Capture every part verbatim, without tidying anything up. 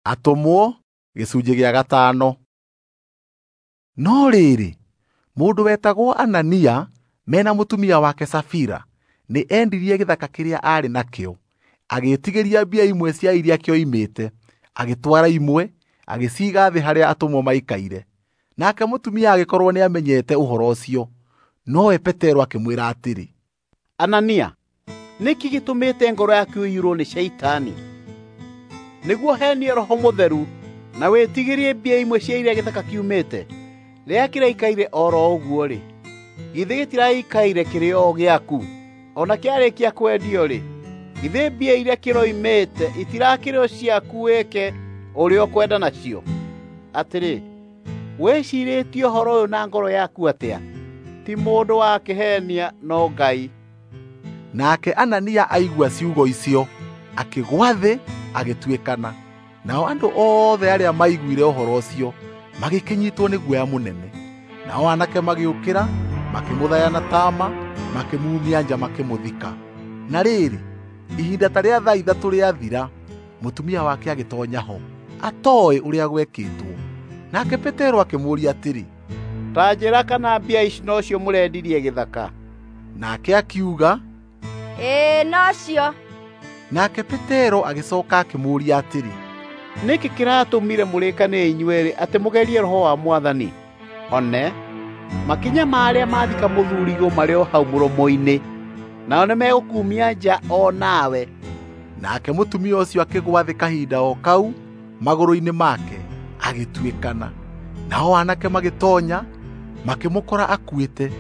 Atũmwo gĩcunjĩ gĩa gatano. No rĩrĩ, mũndũ wetagwo Anania mena mũtumia wake Safira nĩ endirie gĩthaka kĩrĩa aarĩ nakĩo, agĩtigĩria mbia imwe cia iria kĩoimĩte, agĩtwara imwe, agĩciiga thĩ harĩa atũmwo maikaire. Nake mũtumia agĩkorwo nĩamenyete ũhoro ũcio, nowe Petero akĩmwĩra atĩrĩ, Anania, nĩkĩ gĩtũmĩte ngoro yaku ĩiyũrwo nĩ Shaitani, nĩguo henie Roho Mũtheru na wĩtigĩrie mbia imwe cia iria gĩthaka kiumĩte? Rĩrĩa kĩraikaire o ro ũguo-rĩ, githĩ gĩtiraikaire kĩrĩ o gĩaku? O na kĩarĩkia kwendio-rĩ, githĩ mbia iria kĩroimĩte itirakĩrĩ o ciaku wĩke ũrĩa ũkwenda nacio? Atĩrĩ, wĩcirĩtie ũhoro ũyũ na ngoro yaku atĩa? Ti mũndũ wakĩhenia no Ngai. Nake Anania aigua ciugo icio, akĩgwa thĩ agĩtuĩkana. Nao andũ othe arĩa maiguire ũhoro ũcio magĩkĩnyitwo nĩ guoya mũnene. Nao anake magĩũkĩra, makĩmũthaya na tama, makĩmumia nja makĩmũthika. Na rĩrĩ, ihinda ta rĩa thaa ithatũ rĩathira, mũtumia wake agĩtonya ho, atooĩ ũrĩa gwekĩtwo. Nake Petero akĩmũũria atĩrĩ, Ta njĩra kana mbia ici nocio mũrendirie gĩthaka? Nake akiuga, Ĩĩ nocio. Nake Petero agĩcoka akĩmũũria atĩrĩ, Nĩkĩ kĩratũmire mũrĩkane inyuerĩ atĩ mũgerie Roho wa Mwathani? One, makinya ma arĩa mathika mũthurigo marĩ o hau mũromo-inĩ, nao nĩmegũkumia nja o nawe. Nake mũtumia ũcio akĩgwa thĩ kahinda o kau magũrũ-inĩ make, agĩtuĩkana. Nao anake magĩtonya, makĩmũkora akuĩte,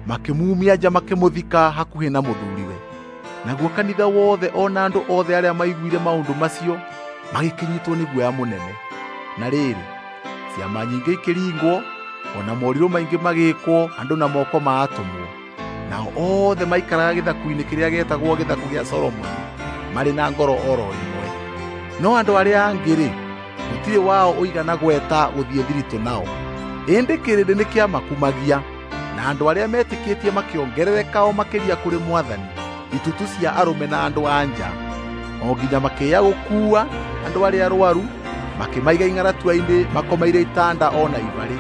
makĩmumia nja makĩmũthika hakuhĩ na mũthuriwe. Naguo kanitha wothe o na andũ othe arĩa maiguire maũndũ macio magĩkĩnyitwo nĩ guoya mũnene. Na rĩrĩ, ciama nyingĩ ikĩringwo, o na morirũ maingĩ magĩĩkwo andũ na moko ma atũmwo. Nao othe maikaraga gĩthaku-inĩ kĩrĩa gĩetagwo gĩthaku gĩa Solomoni, marĩ na ngoro oro ĩmwe. No andũ arĩa angĩ-rĩ, gũtirĩ wao ũigana gweta gũthiĩ thiritũ nao. Ĩndĩ kĩrĩndĩ nĩkĩamakumagia, na andũ arĩa metĩkĩtie makĩongerereka o makĩria kũrĩ Mwathani, itutu cia arũme na andũ a nja, o nginya makĩya gũkuua andũ arĩa arwaru, makĩmaiga ing'aratua-inĩ makomeire itanda o na ibarĩ,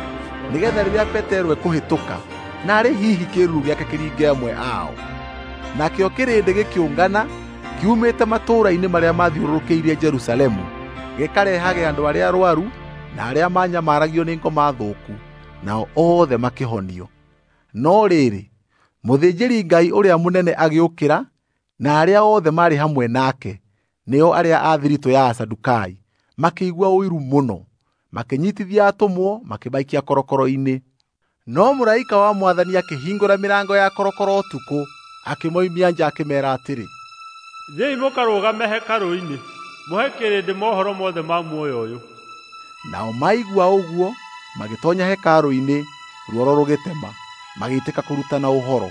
nĩgetha rĩrĩa Petero ekũhĩtũka, naarĩ hihi kĩĩruru gĩake kĩringe amwe ao. Nakĩo kĩrĩndĩ gĩkĩũngana kiumĩte matũũra-inĩ marĩa mathiũrũrũkĩirie Jerusalemu, gĩkarehage andũ arĩa arwaru na arĩa manyamaragio nĩ ngoma thũku, nao othe makĩhonio. No rĩrĩ, mũthĩnjĩri-Ngai ũrĩa mũnene agĩũkĩra, na arĩa othe maarĩ hamwe nake, nĩo arĩa a thiritũ ya Asadukai, makĩigua ũiru mũno, makĩnyitithia atũmwo makĩmaikia korokoro-inĩ. No mũraika wa Mwathani akĩhingũra mĩrango ya korokoro ũtukũ, akĩmoimia nja akĩmeera atĩrĩ, Thiĩi mũkarũgame hekarũ-inĩ, mũhe kĩrĩndĩ mohoro mothe ma muoyo ũyũ. Nao maigua ũguo, magĩtonya hekarũ-inĩ, ruoro rũgĩtema, magĩitĩka kũrutana ũhoro.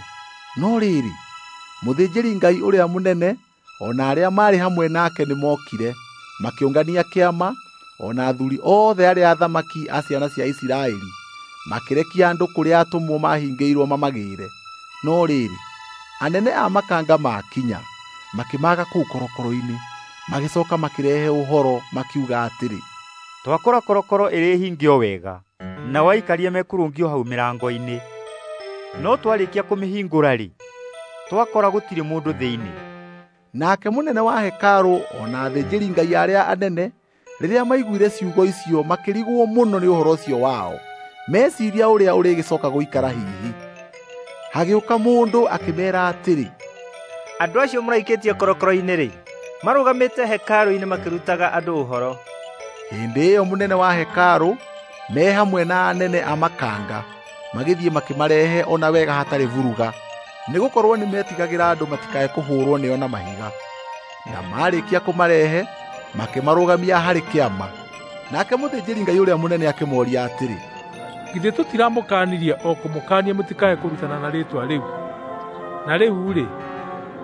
No rĩrĩ, mũthĩnjĩri-Ngai ũrĩa mũnene o na arĩa maarĩ hamwe nake nĩmokire, makĩũngania kĩama, o na athuuri othe arĩa athamaki a ciana cia Isiraeli, makĩrekia andũ kũrĩa atũmwo mahingĩirwo mamagĩĩre. No rĩrĩ, anene a makanga maakinya, makĩmaaga kũu korokoro-inĩ, magĩcoka makĩrehe ũhoro makiuga atĩrĩ, Twakora korokoro ĩrĩ hinge o wega, nao aikaria mekũrũngio hau mĩrango-inĩ. No twarĩkia kũmĩhingũra-rĩ, twakora gũtirĩ mũndũ thĩinĩ. Nake mũnene wa hekarũ o na athĩnjĩri-Ngai arĩa anene rĩrĩa maiguire ciugo icio makĩrigwo mũno nĩ ũhoro ũcio wao, meciria ũrĩa ũrĩgĩcoka gũikara hihi. Hagĩũka mũndũ akĩmeera atĩrĩ, Andũ acio mũraikĩtie korokoro-inĩ-rĩ, marũgamĩte hekarũ-inĩ makĩrutaga andũ ũhoro. Hĩndĩ ĩyo mũnene wa hekarũ me hamwe na anene a makanga magĩthiĩ makĩmarehe o na wega hatarĩ vuruga, nĩgũkorwo nĩmetigagĩra andũ matikae kũhũrwo nĩo na mahiga. Na marĩkia kũmarehe, makĩmarũgamia harĩ kĩama. Nake mũthĩnjĩri-Ngai ũrĩa mũnene akĩmooria atĩrĩ, Githĩ tũtiramũkaanirie o kũmũkaania mũtikae kũrutana na rĩĩtwa rĩu? Na rĩu-rĩ,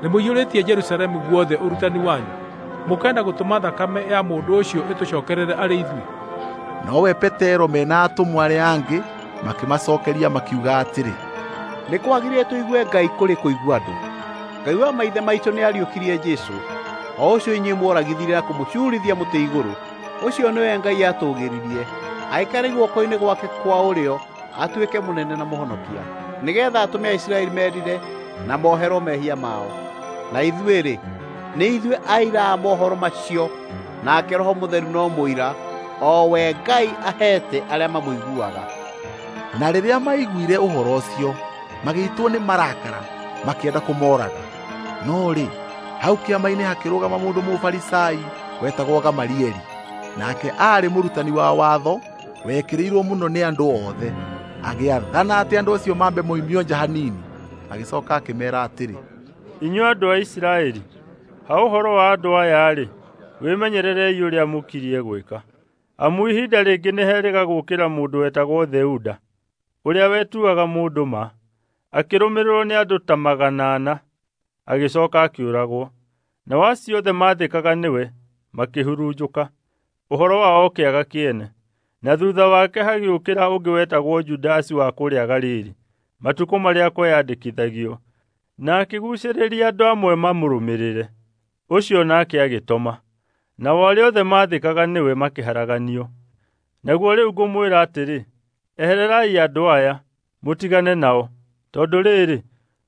nĩmũiyũrĩtie Jerusalemu guothe ũrutani wanyu, mũkenda gũtũma thakame ya mũndũ ũcio ĩtũcookerere arĩ ithuĩ. Nowe Petero mena atũmwo arĩa angĩ makĩmacokeria makiuga atĩrĩ, Nĩ kwagĩrĩire tũigue Ngai kũrĩ kũigua andũ. Ngai wa maithe maitũ nĩariũkirie Jesũ, o ũcio inyuĩ mworagithirie na kũmũcuurithia mũtĩ igũrũ. Ũcio nĩwe Ngai aatũũgĩririe, aikare guoko-inĩ gwake kwa ũrĩo, atuĩke mũnene na mũhonokia, nĩgeetha atũme Aisiraeli merire na moherwo mehia mao. Na ithuĩ-rĩ, nĩ ithuĩ aira a mohoro macio, nake Roho Mũtheru no mũira, o we Ngai aheete arĩa mamũiguaga. Na rĩrĩa maiguire ũhoro ũcio, magĩitwo nĩ marakara, makĩenda kũmooraga. No rĩ, hau kĩama-inĩ hakĩrũgama mũndũ Mũfarisai wetagwo Gamalieli, nake aarĩ mũrutani wa watho wekĩrĩirwo mũno nĩ andũ othe. Agĩathana atĩ andũ acio mambe moimio nja hanini, agĩcoka akĩmeera atĩrĩ, Inyuĩ andũ a Isiraeli, ha ũhoro wa andũ aya-rĩ, wĩmenyererei ũrĩa mũkirie gwĩka. Amu ihinda rĩngĩ nĩherĩga gũũkĩra mũndũ wetagwo Theuda, ũrĩa wetuaga mũndũ ma, akĩrũmĩrĩrwo nĩ andũ ta magana ana, agĩcoka akĩũragwo. Nao acio othe maathĩkaga nĩwe makĩhurunjũka, ũhoro wao ũkĩaga kĩene. Na thuutha wake hagĩũkĩra ũngĩ wetagwo Judasi wa kũrĩa Galili, matukũ marĩa kweyandĩkithagio, na akĩguucĩrĩria andũ amwe mamũrũmĩrĩre. Ũcio nake agĩtoma, nao arĩa othe maathĩkaga nĩwe makĩharaganio. Naguo rĩu ngũmwĩra atĩrĩ, ehererai andũ aya, mũtigane nao, tondũ rĩrĩ,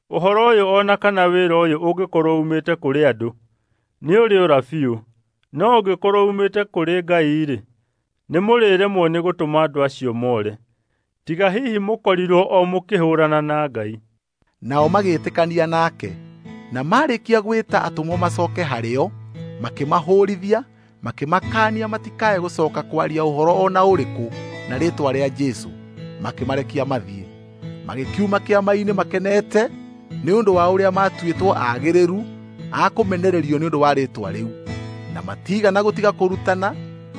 ũhoro ũyũ o na kana wĩra ũyũ ũngĩkorwo uumĩte kũrĩ andũ, nĩũrĩũra biũ. No ũngĩkorwo uumĩte kũrĩ Ngai-rĩ, nĩmũrĩremwo nĩ gũtũma andũ acio more. Tiga hihi mũkorirwo o mũkĩhũũrana na Ngai. Nao magĩĩtĩkania nake, na marĩkia gwĩta atũmwo macoke harĩo, makĩmahũũrithia, makĩmakaania matikae gũcoka kwaria ũhoro o na ũrĩkũ na rĩĩtwa rĩa Jesũ, makĩmarekia mathiĩ. Magĩkiuma kĩama-inĩ makenete nĩ ũndũ wa ũrĩa maatuĩtwo aagĩrĩru a kũmenererio nĩ ũndũ wa rĩĩtwa rĩu, na matiigana gũtiga kũrutana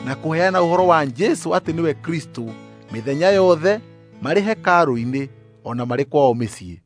na kũheana ũhoro wa Jesũ atĩ nĩwe Kristũ mĩthenya yothe marĩ hekarũ-inĩ o na marĩ kwao mĩciĩ.